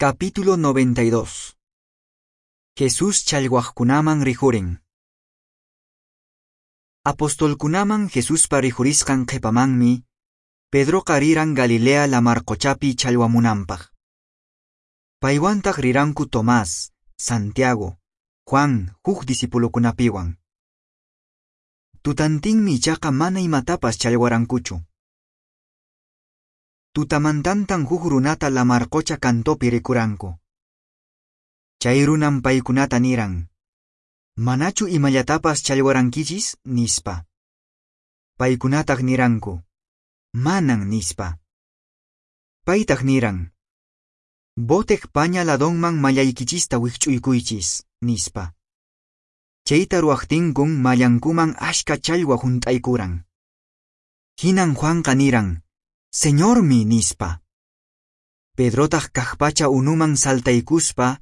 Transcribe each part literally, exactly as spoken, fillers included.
Capítulo noventa y dos. Jesús challwaqkunaman rikhurin. Apostolkunaman Jesuspa rikhurisqan qhipamanmi, Pedroqa riran Galilea lamar-quchapi challwamunanpaq. Paywantaq riranku Tomás, Santiago, Juan, huk discipulokunapiwan. Tutantinmi ichaqa mana imatapas challwarankuchu. Tutamantantan huk runata lamar-qucha cantopi rikuranku. Chay runan paykunata niran: "Manachu imallatapas challwarankichis?" nispa. Paykunataq niranku: "Manan", nispa. Paytaq niran: "Boteq paña ladonman mallaykichista wikch'uykuychis", nispa. Chayta ruwaqtinkun mallankuman ashka challwa hunt'aykuran. Hinan Juanqa niran: "Señormi", nispa. Pedrotaq kaqpacha unuman saltaykuspa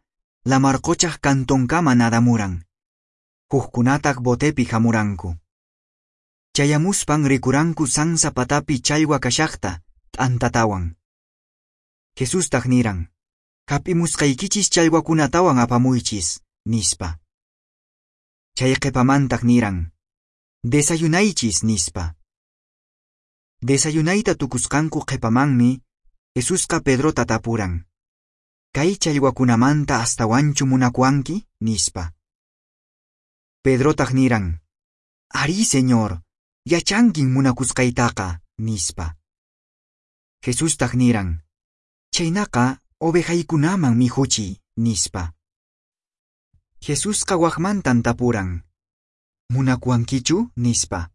lamarquchaq cantonkama nadamuran. Hukkunataq botepi hamuranku. Chayamuspan rikuranku sansa patapi challwa kashaqta, t'antatawan. Jesustaq niran: "Hap'imusqaykichis challwakunatawan apamuychis", nispa. Chay qhipamantaq niran: "Desayunaychis", nispa. Desayunayta tukusqanku qhipamanmi, Jesusqa Pedrota tapuran: "Kay challwakunamanta astawanchu munakuwanki?" nispa. Pedrotaq niran: "Arí, Señor, yachankin munakusqaytaqa", nispa. Jesustaq niran: "Chaynaqa ovejaykunaman mikhuchiy", nispa. Jesusqa waqmantan tapuran: "Munakuwankichu?" nispa.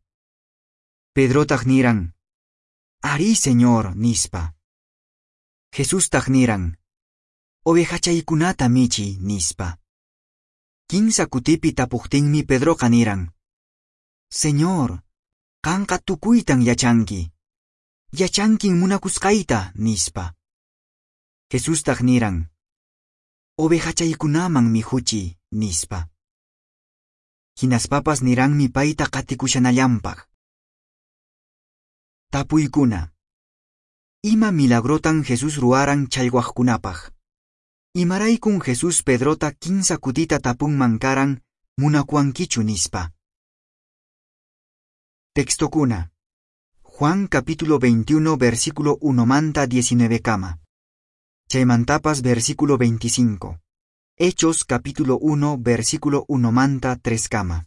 Pedrotaq niran: "Arí, Señor", nispa. Jesustaq niran: "Ovejachaykunata michiy", nispa. Kinsa kutipi tapuqtinmi Pedroqa niran: "Señor, qanqa tukuytan yachanki. Yachankin munakusqayta", nispa. Jesustaq niran: "Ovejachaykunaman mikhuchiy", nispa. Hinaspapas niranmi payta qatikushanallanpaq. Tapuykuna. Ima milagrotan Jesús ruwaran challwaqkunapaq? Imaraykun Jesús Pedrota kinsa kutita tapunman karan munakuwankichu nispa? Textokuna. Juan capítulo veintiuno versículo uno manta diecinueve kama. Chaymantapas versículo veinticinco. Hechos capítulo uno versículo uno manta tres kama.